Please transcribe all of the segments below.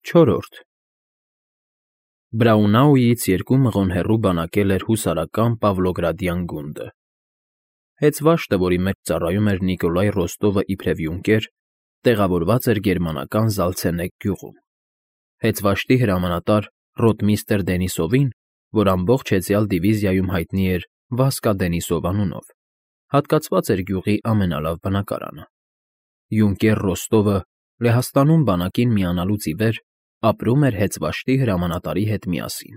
Չորրորդ Բրաունաուից 2 մղոն հեռու բանակել էր հուսարական Պավլոգրադյան գունդը։ Հեծվաշտը, որի մեջ ծառայում էր Նիկոլայ Ռոստովը իբրև յունկեր, տեղավորված էր գերմանական Զալցենեկ գյուղում։ Հեծվաշտի հրամանատար ռոտմիստր Դենիսովին, որ ամբողջ հեծյալ դիվիզիայում հայտնի էր Վասկա Դենիսով անունով, հատկացված էր գյուղի ամենալավ բնակարանը։ Յունկեր Ռոստովը Լեհաստանում բանակին միանալուց ի վեր ապրում էր Հեծվաշտի հրամանատարի հետ միասին։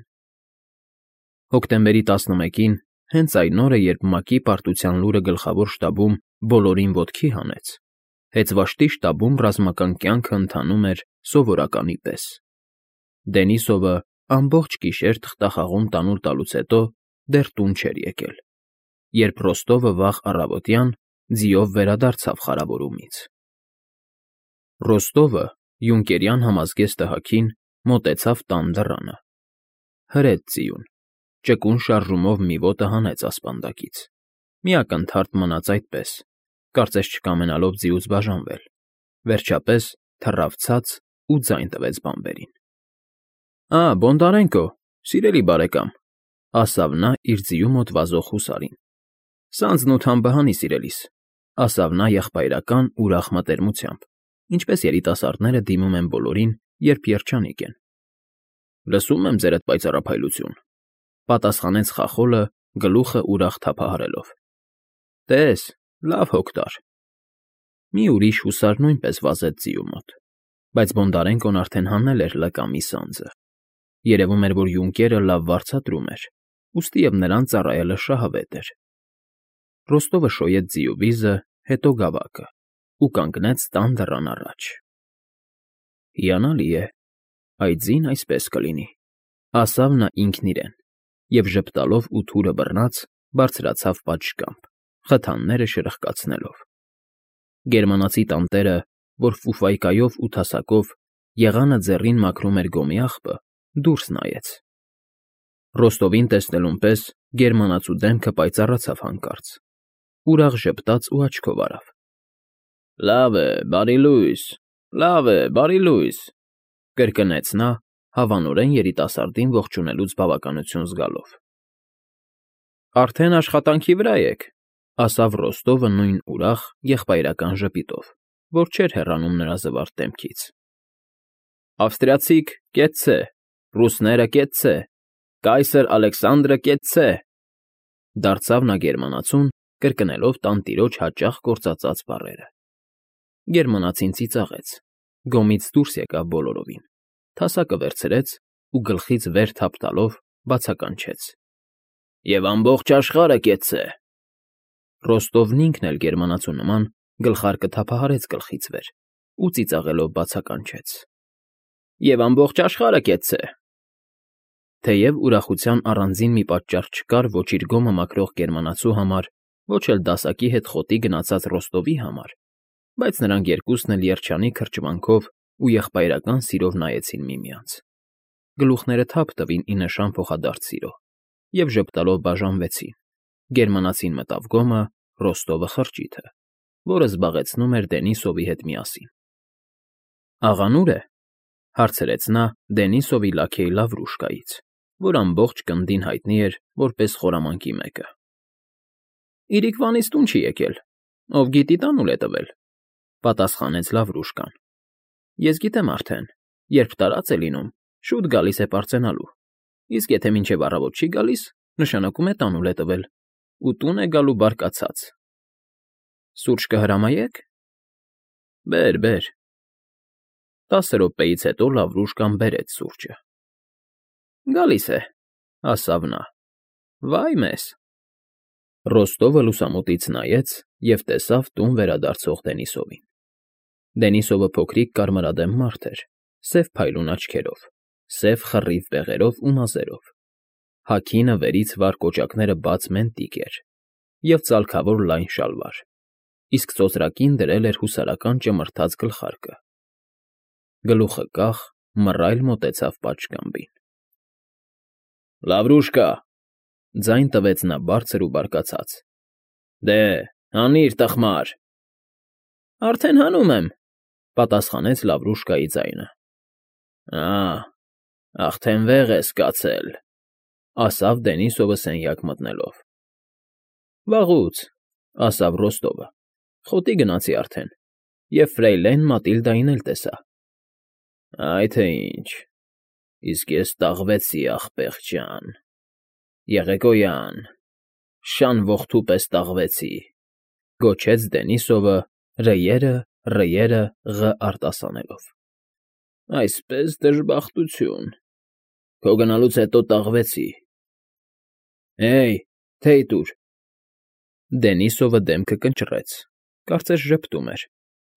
Հոկտեմբերի 11-ին, հենց այն օրը, երբ ՄԱԿ-ի պարտության լուրը գլխավոր շտաբում բոլորին ոտքի հանեց, Հեծվաշտի շտաբում ռազմական կյանքը ընթանում էր սովորականի պես։ Դենիսովը ամբողջ գիշեր թղթախաղում տանուլ տալուց հետո դեռ տուն չէր եկել, երբ Ռոստովը վաղ առավոտյան ձիով վերադարձավ խարավորումից։ Ռոստովը, յունկերյան համազգեստը հագին, մոտեցավ տան դռանը։ Հրեց ձիուն, ճկուն շարժումով մի ոտը հանեց ասպանդակից, մի ակնթարթ մնաց այդպես, կարծես չկամենալով ձիուց բաժանվել, վերջապես թռավ ցած ու ձայն տվեց բանվերին։ Բոնդարենկո, սիրելի բարեկամ, ասավ նա իր ձիու մոտ վազող հուսարին։ Սանձն ու թամբը հանի, սիրելիս, ասավ նա եղբայրական ուրախ մտերմությամբ, ինչպես երիտասարդները դիմում են բոլորին, երբ երջանիկ են։ Լսում եմ ձերդ պայծառափայլություն, պատասխանեց խախոլը, գլուխը ուրախ թափահարելով։ Տես, լավ հոգ տար։ Մի ուրիշ հուսար նույնպես վազեց ձիու մոտ, բայց Բոնդարենկոն արդեն հանել էր լկամի սանձը։ Երևում էր, որ յունկերը լավ վարձատրում էր, ուստիև նրան ծառայելը շահավետ էր։ Ռոստովը շոյեց ձիու վիզը, հետո գավակը ու կանգնեց տան դռան առաջ։ Հիանալի է, այդ ձին այսպես կլինի, ասավ նա ինքն իրեն, և ժպտալով ու թուրը բռնած բարձրացավ պատշգամբ, խթանները շրխկացնելով։ Գերմանացի տանտերը, որ ֆուֆայկայով ու թասակով եղանը ձեռին մաքրում էր գոմի աղբը, դուրս նայեց։ Ռոստովին տեսնելուն պես գերմանացու դեմքը պայծառացավ հանկարծ, ուրախ ժպտաց ու աչքով արավ։ Լավ է, բարի լույս, կրկնեց նա, հավանորեն երիտասարդին ողջունելուց բավականություն զգալով։ Արդեն աշխատանքի վրա եք, ասավ Ռոստովը նույն ուրախ, եղբայրական ժպիտով, որ չէր հեռանում նրա զվարթ դեմքից։ Ավստրիացիք կեցցե, ռուսները կեցցե, կայսր Ալեքսանդրը կեցցե, դարձավ նա գերմանացուն, կրկնելով տանտիրոջ հաճախ գործածած բառերը։ Գերմանացին ծիծաղեց, գոմից դուրս եկավ բոլորովին, թասակը վերցրեց ու գլխից վեր թափ տալով բացականչեց. Եվ ամբողջ աշխարհը կեցցե։ Ռոստովն ինքն էլ գերմանացու նման գլխարկը թափահարեց գլխից վեր ու ծիծաղելով բացականչեց. Եվ ամբողջ աշխարհը կեցցե։ Թեև ուրախության առանձին մի պատճառ չկար ոչ իր գոմը մաքրող գերմանացու համար, ոչ էլ դասակի հետ խոտի գնացած Ռոստովի համար, բայց նրանք երկուսն էլ երջանիկ հրճվանքով ու եղբայրական սիրով նայեցին միմյանց։ Գլուխները թափ տվին ի նշան փոխադարձ սիրո և ժպտալով բաժանվեցին։ Գերմանացին մտավ գոմը, Ռոստովը խրճիթը, որը զբաղեցնում էր Դենիսովի հետ միասին։ Աղան ուր է, հարցրեց նա Դենիսովի լաքեյ Լավրուշկայից, որ ամբողջ կնդին հայտնի էր որպես խորամանկի մեկը։ Իրիկվանից տուն չի եկել, ով գիտի տանուլ է տվել, պատասխանեց Լավրուշկան։ Ես գիտեմ արդեն, երբ տարած է լինում, շուտ գալիս է պարծենալու, իսկ եթե մինչև առավոտ չի գալիս, նշանակում է տանուլ է տվել, ու տուն է գալու բարկացած։ Սուրճ կհրամայեք։ Բեր։ 10 րոպեից հետո Լավրուշկան բերեց սուրճը։ Գալիս է, ասավ նա։ Վայ մեզ։ Ռոստովը լուսամուտից նայեց և տեսավ տուն վերադարձող Դենիսովին։ Դենիսովը փոքրիկ կարմրադեմ մարդ էր, սև փայլուն աչքերով, սև խռիվ բեղերով ու մազերով։ Հագինը վերից վար կոճակները բաց մենտիկ էր և ծալքավոր լայն շալվար, իսկ ծոծրակին դրել էր հուսարական ճմրթած գլխարկը։ Գլուխը կախ, մռայլ մոտեցավ պատշգամբին։ Լավրուշկա, ձայն տվեց նա բարձր ու բարկացած։ Դե, հանիր, տխմար։ Արդեն հանում եմ, պատասխանեց Լավրուշկայի ձայնը։ Ա, արդեն վեղ ես կացել, ասավ Դենիսովը սենյակ մտնելով։ Վաղուց, ասավ Ռոստովը, խոտի գնացի արդեն, և ֆրեյլեն Մատիլդային էլ տեսա։ Այ թե ինչ, իսկ ես տաղվեցի, ախպեղ ջան, Եղեգոյան, շան ողթու պես տաղվեցի, գոչեց Դենիսովը ռը ղ արտասանելով։ Այսպես դժբախտություն, քո գնալուց հետո տաղվեցի։ Հեյ, թեյ տուր։ Դենիսովը դեմքը կնճռեց, կարծես ժպտում էր,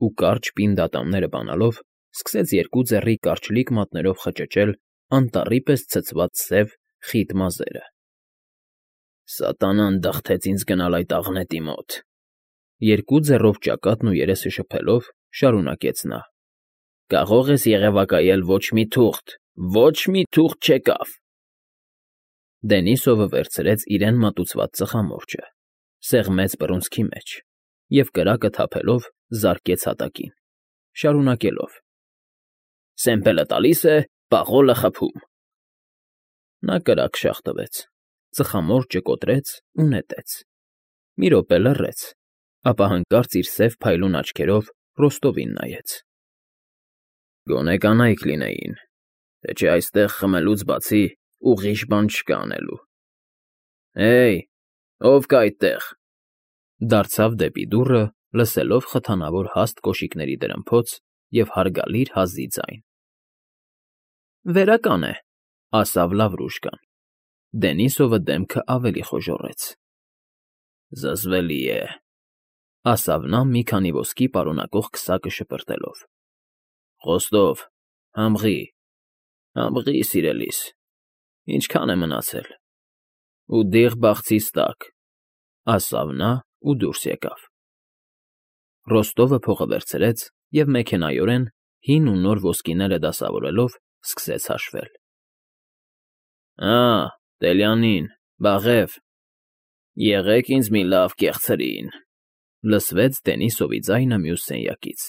ու կարճ պինդ ատամները բանալով սկսեց երկու ձեռի կարճլիկ մատներով խճճել անտառի պես ցցված սև, խիտ մազերը։ Սատանան դղթեց ինձ գնալ այդ աղնետի մոտ, երկու ձեռով ճակատն ու երեսը շփելով շարունակեց նա։ Կարող ես եղևակայել ոչ մի թուղթ չեկավ։ Դենիսովը վերցրեց իրեն մատուցված ծխամորճը, սեղմեց բռունցքի մեջ և կրակը թափելով զարկեց հատակին, շարունակելով. Սեմպելը տալիս է, պաղոլը խփում։ Նա կրակ շաղ տվեց, ծխամորճը կոտրեց ու նետեց։ Մի րոպե լռեց, ապա հանկարծ իր սև փայլուն աչքերով Ռոստովին նայեց։ Գոնե կանայք լինեին, թե չէ այստեղ խմելուց բացի ուղիղ բան չկա անելու։ Հեյ, ով կա այդտեղ, դարձավ դեպի դուռը, լսելով խթանավոր հաստ կոշիկների դրմփոց և հարգալից հազի ձայն։ Վերական է, ասավ Լավրուշկան։ Դենիսովը դեմքը ավելի խոժոռեց։ Զզվելի է, ասավ նա մի քանի ոսկի պարունակող քսակը շպրտելով։ Խոստով, համղի, սիրելիս, ինչքան է մնացել։ Ու դիղ բաղցիս տակ, ասավ նա ու դուրս եկավ։ Ռոստովը փողը վերցրեց և մեքենայորեն հին ու նոր ոսկիները դասավորելով սկսեց հաշվել։ Տելյանին, Բաղև, եղեք ինձ մի լավ կեղցրին, լսվեց Դենիսովի ձայնը մյուս սենյակից։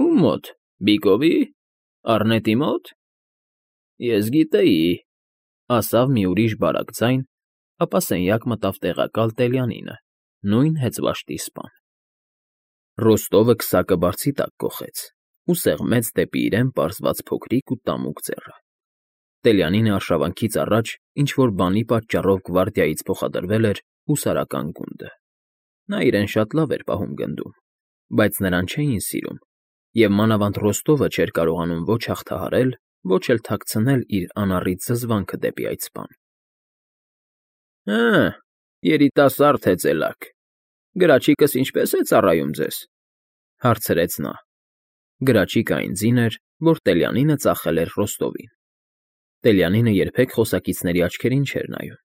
Ում մոտ, Բիկովի, Առնետի մոտ։ Ես գիտեի, ասավ մի ուրիշ բարակ ձայն, ապա սենյակ մտավ տեղակալ Տելյանինը, նույն հեծվաշտի սպան։ Ռոստովը քսակը բարձի տակ կոխեց ու սեղմեց դեպի իրեն պարզված փոքրիկ ու տամուկ ձեռը։ Տելյանինը արշավանքից առաջ ինչ֊որ բանի պատճառով գվարդիայից փոխադրվել էր հուսարական գունդը։ Նա իրեն շատ լավ էր պահում գնդում, բայց նրան չէին սիրում, և մանավանդ Ռոստովը չէր կարողանում ոչ հաղթահարել, ոչ էլ թաքցնել իր անառիկ զզվանքը դեպի այդ սպան։ Երիտասարդ հեծելակ, գրաչիկս ինչպե՞ս է ծառայում ձեզ, հարցրեց նա։ Գրաչիկը այն ձին էր, որ Տելյանինը ծախել էր Ռոստովին։ Տելյանինը երբեք խոսակիցների աչքերին չէր նայում։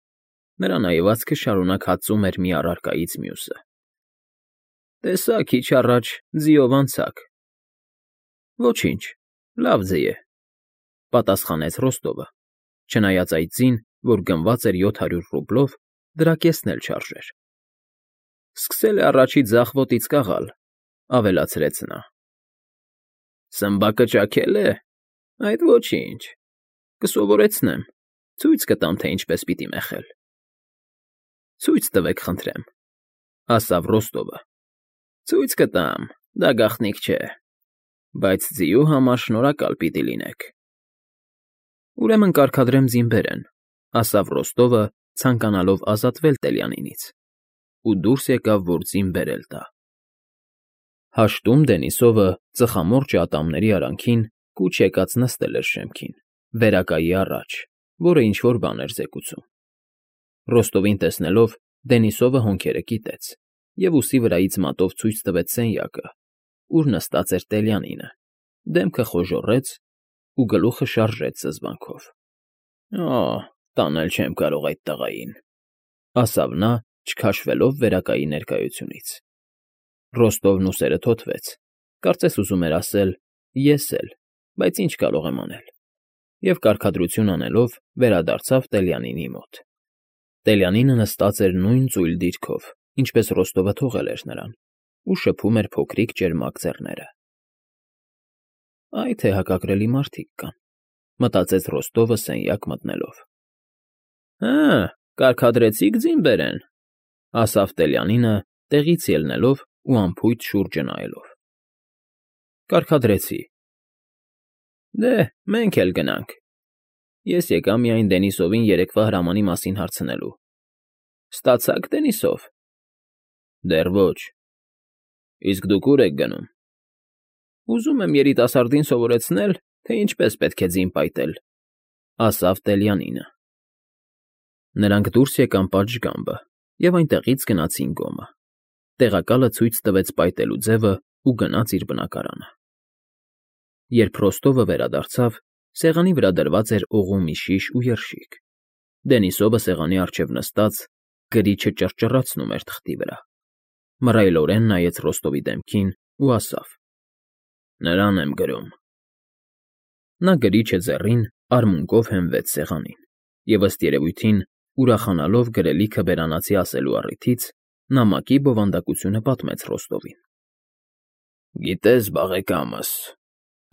Նրա նայվածքը շարունակ հածում էր մի առարկայից մյուսը։ Տեսա քիչ առաջ ձիով անցաք։ Ոչինչ, լավ ձի է, պատասխանեց Ռոստովը, չնայած այդ ձին, որ գնված էր 700 ռուբլով, դրա կեսն էլ չարժեր։ Սկսել է առաջի ձախ ոտից կաղալ, ավելացրեց նա։ Սմբակը ճաքել է։ Այդ ոչինչ, կսովորեցնեմ, ցույց կտամ, թե ինչպես պիտի մեխել։ Ցույց տվեք, խնդրեմ, ասավ Ռոստովը։ Ցույց կտամ, դա գաղտնիք չէ, բայց ձիու համար շնորհակալ պիտի լինեք։ Ուրեմն կարգադրեմ ձին բերեն, ասավ Ռոստովը, ցանկանալով ազատվել Տելյանինից, ու դուրս եկավ, որ ձին բերել տա։ Հաշտում Դենիսովը ծխամորճը ատամների արանքին կուչ եկած նստել էր շեմքին, վերակայի առաջ, որը ինչ֊որ բան էր զեկուցում։ Ռոստովին տեսնելով Դենիսովը հոնքերը կիտեց և ուսի վրայից մատով ցույց տվեց սենյակը, ուր նստած էր Տելյանինը, դեմքը խոժոռեց ու գլուխը շարժեց զզվանքով։ Տանել չեմ կարող այդ տղային, ասավ նա, չքաշվելով վերակայի ներկայությունից։ Ռոստովն ուսերը թոթվեց, կարծես ուզում էր ասել. ես էլ, բայց ինչ կարող եմ անել, և կարգադրություն անելով վերադարձավ Տելյանինի մոտ։ Տելյանինը նստած էր նույն ծույլ դիրքով, ինչպես Ռոստովը թողել էր նրան, ու շփում էր փոքրիկ ճերմակ ձեռները։ Այ թե հակակրելի մարդիկ կան, մտածեց Ռոստովը սենյակ մտնելով։ Հա, կարգադրեցիք ձին բերեն, ասավ Տելյանինը, տեղից ելնելով ու անփույթ շուրջը նայելով։ Կարգադրեցի։ Դե, մենք էլ գնանք։ Ես եկա միայն Դենիսովին երեկվա հրամանի մասին հարցնելու։ Ստացա՞ք Դենիսով։ Դեռ ոչ։ Իսկ դուք ուր եք գնում։ Ուզում եմ երիտասարդին սովորեցնել, թե ինչպես պետք է ձին պայտել, ասավ Տելյանինը։ Նրանք դուրս եկան պատշգամբը և այնտեղից գնացին գոմը։ Տեղակալը ցույց տվեց պայտելու ձևը ու գնաց իր բնակարանը։ Երբ Ռոստովը վերադարձավ, սեղանի վրա դրված էր օղու մի շիշ ու երշիկ։ Դենիսովը սեղանի առջև նստած գրիչը ճռճռացնում էր թղթի վրա։ Մռայլորեն նայեց Ռոստովի դեմքին ու ասավ. Նրան եմ գրում։ Նա գրիչը ձեռին արմունկով հենվեց սեղանին և ըստ երևույթին, ուրախանալով գրելիքը բերանացի ասելու առիթից, նամակի բովանդակությունը պատմեց Ռոստովին։ Գիտես, բաղեկամս,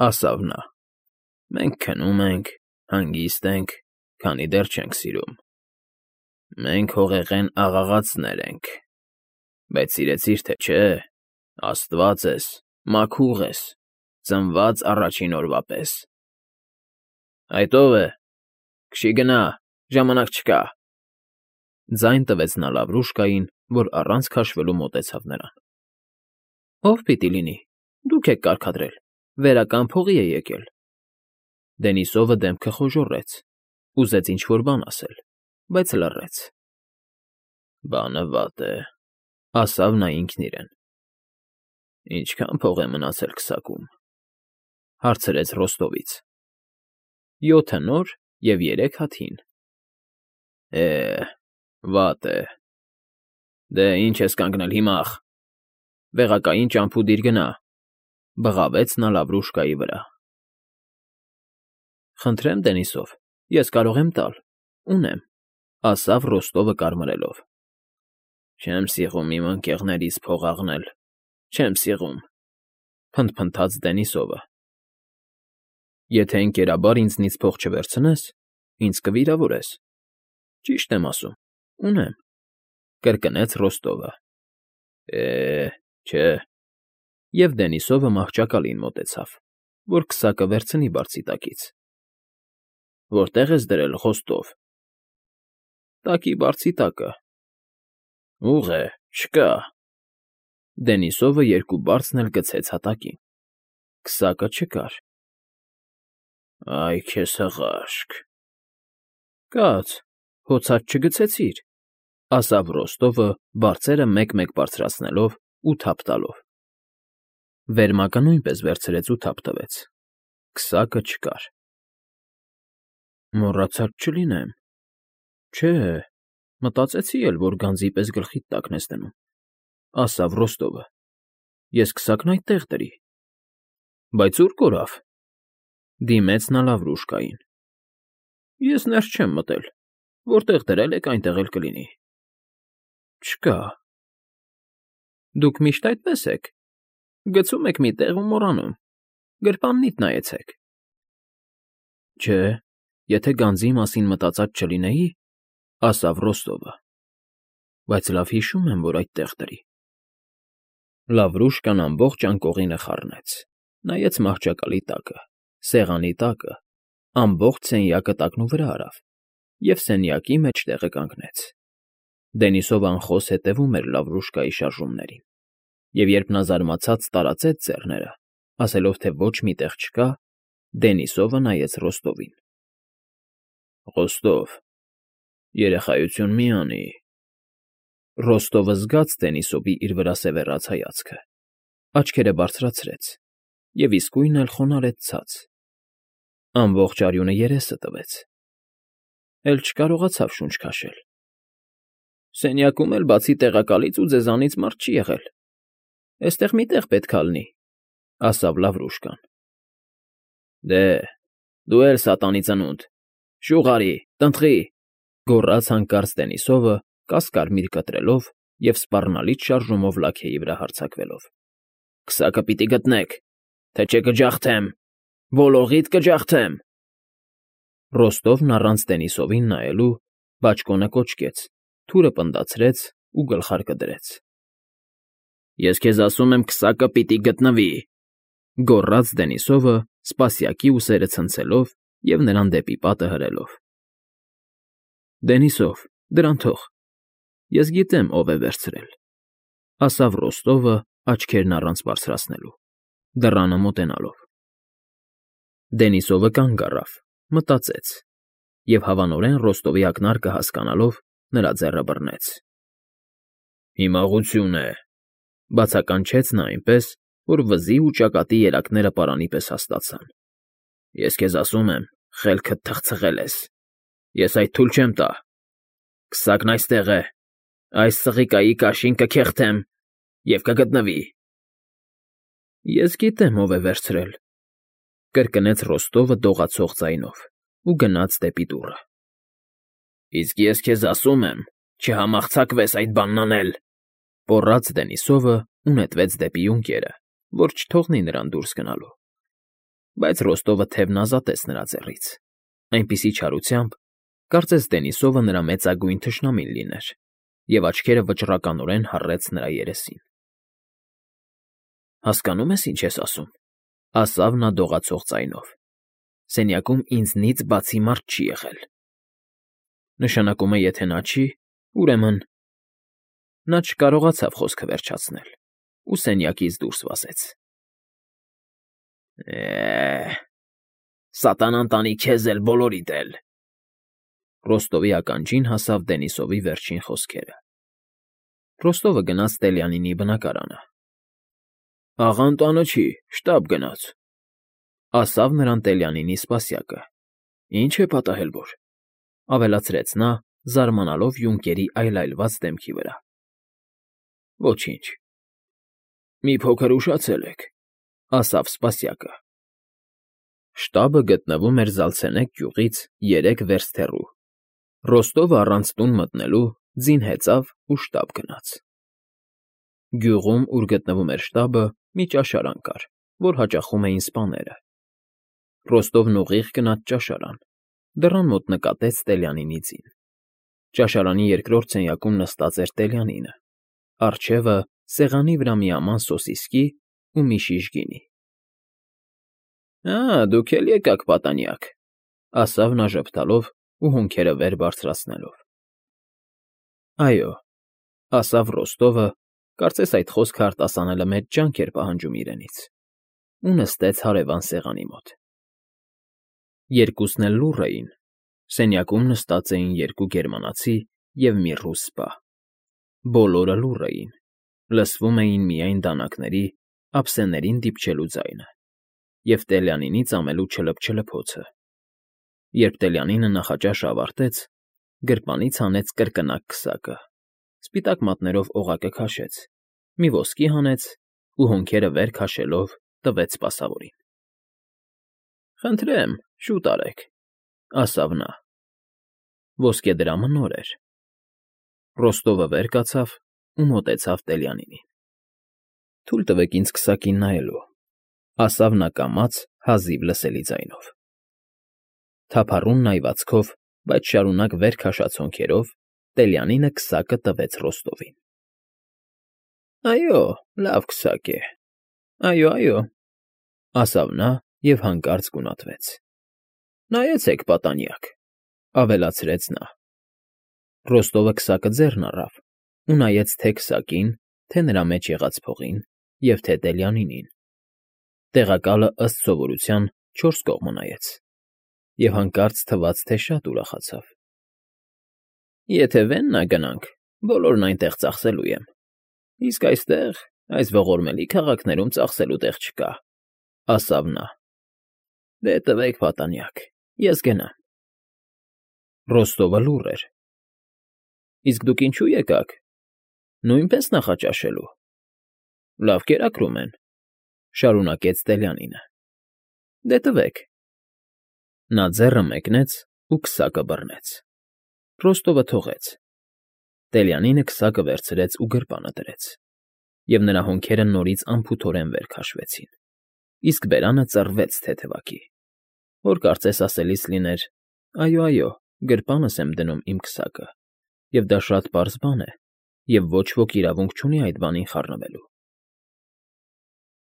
ասավ նա, մենք քնում ենք, հանգիստ ենք, քանի դեռ չենք սիրում։ Մենք հողեղեն աղաղացներ ենք, բայց սիրեցիր թե չէ, Աստված ես, մաքուղ ես, ծնված առաջին օրվա պես։ Այդ ով է, քշի գնա, ժամանակ չկա։ Ձայն տվեց նա Լավրուշկային, որ առանց քաշվելու մոտեցավ նրան։ Ով պիտի լինի, դուք եք կարգադրել, վերական փողի է եկել։ Դենիսովը դեմքը խոժոռեց, ուզեց ինչ֊որ բան ասել, բայց լռեց։ Բանը վատ է, ասավ նա ինքն իրեն։ Ինչքան փող է մնացել քսակում, հարցրեց Ռոստովից։ 7 նոր և 3 հատ հին։ Վատ է։ Դե ինչ ես կանգնել հիմա, վեղակային ճամփու դիր գնա, բղավեց նա Լավրուշկայի վրա։ Խնդրեմ, Դենիսով, ես կարող եմ տալ, ունեմ, ասավ Ռոստովը կարմրելով։ Չեմ սիրում իմ ընկերներից փող աղնել, չեմ սիրում, փնթփնթաց Դենիսովը։ Եթե ընկերաբար ինձնից փող չվերցնես, ինձ կվիրավորես։ Ճիշտ եմ ասում, ունեմ, կրկնեց Ռոստովը։ Չէ։ Եվ Դենիսովը մահճակալին մոտեցավ, որ քսակը վերցնի բարձի տակից։ Որտե՞ղ ես դրել, Խոստով։ Տակի բարձի տակը։ Ուղ է, չկա։ Դենիսովը երկու բարձն էլ գցեց հատակին։ Քսակը չկար։ Այ քեզ հղաշք։ Կաց, հոցած չգցեցիր, ասավ Ռոստովը, բարձերը մեկ-մեկ բարձրացնելով ու թափ տալով։ Վերմակը նույնպես վերցրեց ու թափ տվեց։ Քսակը չկար։ Մոռացած չլինեմ։ Չէ, մտածեցի էլ, որ գանձի պես գլխիդ տակն ես դնում, ասավ Ռոստովը։ Ես քսակն այդտեղ դրի։ Բայց ուր կորավ։ Դիմեց նա Լավրուշկային։ Ես ներս չեմ մտել, որտեղ դրել եք, այնտեղ էլ կլինի։ Չկա։ Դուք միշտ այդպես եք։ Գցում եք մի տեղ ու մոռանում։ Գրպաննիդ նայեցեք։ Չէ, եթե գանձի մասին մտածած չլինեի, ասավ Ռոստովը, բայց լավ հիշում եմ, որ այդտեղ դրի։ Լավրուշկան ամբողջ անկողինը խառնեց, նայեց մահճակալի տակը, սեղանի տակը, ամբողջ սենյակը տակնու վրա արավ և սենյակի մեջտեղը կանգնեց։ Դենիսովը անխոս հետևում էր Լավրուշկայի շարժումներին, և երբ նա զարմացած տարածեց ձեռները, ասելով, թե ոչ մի տեղ չկա, Դենիսովը նայեց Ռոստովին։ Ռոստով, երեխայություն մի անի։ Ռոստովը զգաց Դենիսովի իր վրա սևեռած հայացքը, աչքերը բարձրացրեց և իսկույն էլ խոնարհեց ցած։ Ամբողջ արյունը երեսը տվեց։ Էլ չկարողացավ շունչ քաշել։ Սենյակում էլ բացի տեղակալից ու ձեզանից մարդ չի եղել։ Էստեղ մի տեղ պետք է լինի, ասավ Լավրուշկան։ Դե, դու էլ սատանի ծնունդ, շուղ արի, տնտղի, գոռաց հանկարծ Դենիսովը, կասկարմիր կտրելով և սպառնալից շարժումով լաքեի վրա հարձակվելով։ Քսակը պիտի գտնեք, թե չէ կջախթեմ։ Ոլողիդ կջախթեմ։ Ռոստովն առանց Դենիսովին նայելու բաճկոնը կոչկեց, թուրը պնդացրեց ու գլխարկը դրեց։ Ես քեզ ասում եմ, քսակը պիտի գտնվի, գոռաց Դենիսովը, սպասյակի ուսերը ցնցելով և նրան դեպի պատը հրելով։ Դենիսով, դրան թող։ Ես գիտեմ, ով է վերցրել, ասավ Ռոստովը աչքերն առանց բարձրացնելու, դռանը մոտենալով։ Դենիսովը կանգ առավ, մտածեց և հավանորեն Ռոստովի ակնարկը հասկանալով նրա ձեռը բռնեց։ Հիմաղություն է, բացականչեց նա այնպես, որ վզի ու ճակատի երակները պարանի պես հաստացան։ Ես քեզ ասում եմ, խելքդ թխցղել ես։ Ես այդ թույլ չեմ տա։ Քսակն այստեղ է։ Այս սղիկայի կաշին կքեղթեմ և կգտնվի։ Ես գիտեմ, ով է վերցրել, կրկնեց Ռոստովը դողացող ձայնով ու գնաց դեպի դուռը։ Իսկ ես քեզ ասում եմ, չհամարձակվես այդ բանն անել, պոռաց Դենիսովը ու նետվեց դեպի ունկերը, որ չթողնի նրան դուրս գնալու։ Բայց Ռոստովը թևն ազատեց նրա ձեռից, այնպիսի չարությամբ, կարծես Դենիսովը նրա մեծագույն թշնամին լիներ, և աչքերը վճռականորեն հառեց նրա երեսին։ Հասկանո՞ւմ ես, ինչ ես ասում, ասավ նա դողացող ձայնով։ Սենյակում ինձնից բացի մարդ չի եղել։ Նշանակում է, եթե նա չի, ուրեմն… Նա չկարողացավ խոսքը վերջացնել ու սենյակից դուրս վազեց։ Սատանան տանի քեզ էլ, բոլորիդ էլ… Ռոստովի ականջին հասավ Դենիսովի վերջին խոսքերը։ Ռոստովը գնաց Տելյանինի բնակարանը։ Աղան տանը չի, շտապ գնաց, ասավ նրան Տելյանինի սպասյակը։ Ինչ է պատահել որ, ավելացրեց նա, զարմանալով յունկերի այլայլված դեմքի վրա։ Ոչինչ։ Մի փոքր ուշացել եք, ասավ սպասյակը։ Շտաբը գտնվում էր Զալցենեկ գյուղից 3 վերստ հեռու։ Ռոստովը առանց տուն մտնելու ձին հեծավ ու շտապ գնաց։ Գյուղում, ուր գտնվում էր շտաբը, մի ճաշարան կար, որ հաճախում էին սպաները։ Ռոստովն ուղիղ գնաց ճաշարան, դռան մոտ նկատեց Տելյանինի ձին։ Ճաշարանի երկրորդ սենյակում նստած էր Տելյանինը, առջևը սեղանի վրա մի աման սոսիսկի ու մի շիշ գինի։ Դուք էլ եկաք, պատանյակ, ասավ նա ժպտալով ու հոնքերը վեր բարձրացնելով։ Այո, ասավ Ռոստովը, կարծես այդ խոսքը արտասանելը մեծ ջանք էր պահանջում իրենից, ու նստեց հարևան սեղանի մոտ։ Երկուսն էլ լուռ էին, սենյակում նստած էին 2 գերմանացի և մի ռուս սպա։ Բոլորը լուռ էին, լսվում էին միայն դանակների, ափսեներին դիպչելու ձայնը և Տելյանինի ծամելու չլփչլփոցը։ Երբ Տելյանինը նախաճաշը ավարտեց, գրպանից հանեց կրկնակ քսակը, սպիտակ մատներով օղակը քաշեց, մի ոսկի հանեց ու հոնքերը վեր քաշելով տվեց սպասավորին։ Խնդրեմ, շուտ արեք, ասավ նա։ Ոսկեդրամը նոր էր։ Ռոստովը վեր կացավ ու մոտեցավ Տելյանինին։ Թույլ տվեք ինձ քսակին նայելու, ասավ նա կամաց, հազիվ լսելի ձայնով։ Թափառուն նայվածքով, բայց շարունակ վեր քաշած հոնքերով Տելյանինը քսակը տվեց Ռոստովին։ Այո, լավ քսակ է։ Այո, ասավ նա և հանկարծ գունատվեց։ Նայեցեք, պատանյակ, ավելացրեց նա։ Ռոստովը քսակը ձեռն առավ ու նայեց թե քսակին, թե նրա մեջ եղած փողին և թե Տելյանինին։ Տեղակալը ըստ սովորության 4 կողմը նայեց և հանկարծ թվաց, թե շատ ուրախացավ։ Եթե Վեննա գնանք, բոլորն այնտեղ ծախսելու եմ, իսկ այստեղ, այս ողորմելի քաղաքներում ծախսելու տեղ չկա, ասավ նա։ Դե տվեք, պատանյակ, ես գնամ։ Ռոստովը լուռ էր։ Իսկ դուք ինչու եկաք։ Նույնպես նախաճաշելու։ Լավ կերակրում են, շարունակեց Տելյանինը։ Դե տվեք։ Նա ձեռը մեկնեց ու քսակը բռնեց։ Ռոստովը թողեց։ Տելյանինը քսակը վերցրեց ու գրպանը դրեց, և նրա հոնքերը նորից անփութորեն վեր քաշվեցին։ իսկ բերանը ծռվեց թեթևակի, որ կարծես ասելիս լիներ. «Այո, գրպանս եմ դնում իմ քսակը, և դա շատ պարզ բան է, և ոչ ոք իրավունք չունի այդ բանին խառնվելու»։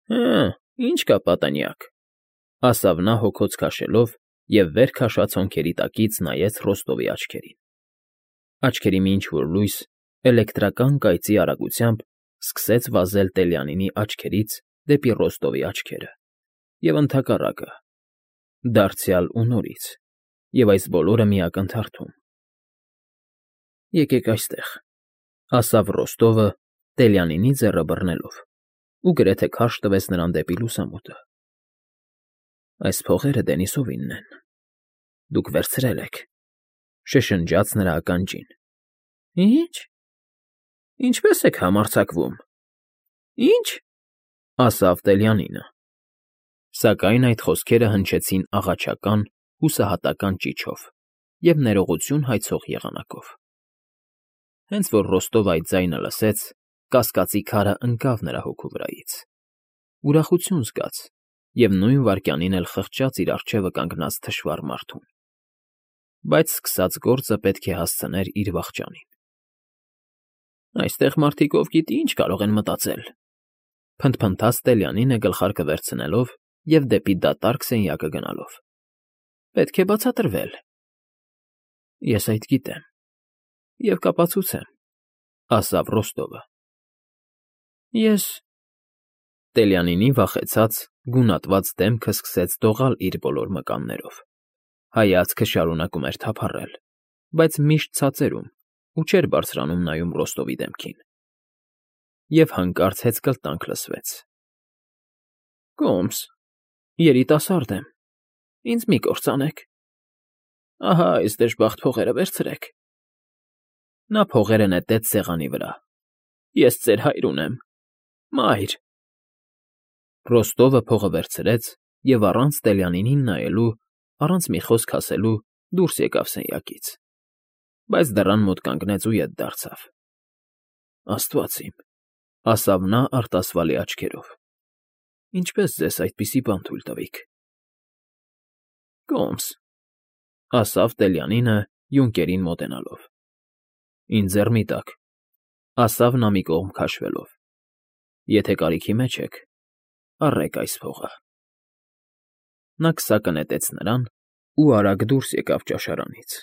«Հը, ինչ կա պատանյակ», ֊ ասավ նա հոգոց քաշելով և վեր քաշած հոնքերի տակից նայեց Ռոստովի աչքերին։ Աչքերի մի ինչ֊որ լույս էլեկտրական կայծի արագությամբ սկսեց վազել Տելյանինի աչքերից դեպի Ռոստովի աչքերը, և ընդհակառակը, դարձյալ ու նորից, և այս բոլորը մի ակնթարթում։ «Եկեք այստեղ», ֊ ասավ Ռոստովը Տելյանինի ձեռը բռնելով ու գրեթե քարշ տվեց նրան դեպի լուսամուտը։ «Այս փողերը Դենիսովինն են, դուք վերցրել եք», ֊ շշնջաց նրա ականջին։ «Ի՞նչ, ինչպե՞ս եք համարձակվում, ի՞նչ», ֊ ասավ Տելյանինը։ Սակայն այդ խոսքերը հնչեցին աղաչական, հուսահատական ճիչով և ներողություն հայցող եղանակով։ Հենց որ Ռոստովը այդ ձայնը լսեց, կասկածի քարը ընկավ նրա հոգու վրայից, ուրախություն զգաց և նույն վայրկյանին էլ խղճաց իր առջևը կանգնած թշվառ մարդուն, բայց սկսած գործը պետք է հասցներ իր վախճանին։ «Այստեղ մարդիկ ով գիտի ինչ կարող են մտածել», ֊ փնթփնթաց Տելյանինը գլխարկը վերցնելով և դեպի դատարկ սենյակը գնալով։ «Պետք է բացատրվել»։ «Ես այդ գիտեմ և կապացուցեմ», ֊ ասավ Ռոստովը։ «Ես…» Տելյանինի վախեցած, գունատված դեմքը սկսեց դողալ իր բոլոր մկաններով, հայացքը շարունակում էր թափառել, բայց միշտ ցածերում ու չէր բարձրանում նայում Ռոստովի դեմքին։ Եվ հանկարծ հեծկլտանք լսվեց. «Կոմս, երիտասարդ եմ, ինձ մի կործանեք։ Ահա այս դժբախտ փողերը վերցրեք»։ Նա փողերը նետեց սեղանի վրա։ «Ես ձեր հայր ունեմ, մայր»։ Ռոստովը փողը վերցրեց և առանց Տելյանինին նայելու, առանց մի խոսք ասելու դուրս եկավ սենյակից, բայց դռան մոտ կանգնեց ու ետ դարձավ։ «Աստված իմ», ֊ ասավ նա արտասվալի աչքերով, «ինչպե՞ս ձեզ այդպիսի բան թույլ տվիք»։ «Կոմս», ֊ ասավ Տելյանինը յունկերին մոտենալով։ «Ինձ ձեռ մի տաք», ֊ ասավ նա մի կողմ քաշվելով։ «Եթե կարիքի մեջ եք, առեք այս փողը»։ Նա քսակը նետեց նրան ու արագ դուրս եկավ ճաշարանից։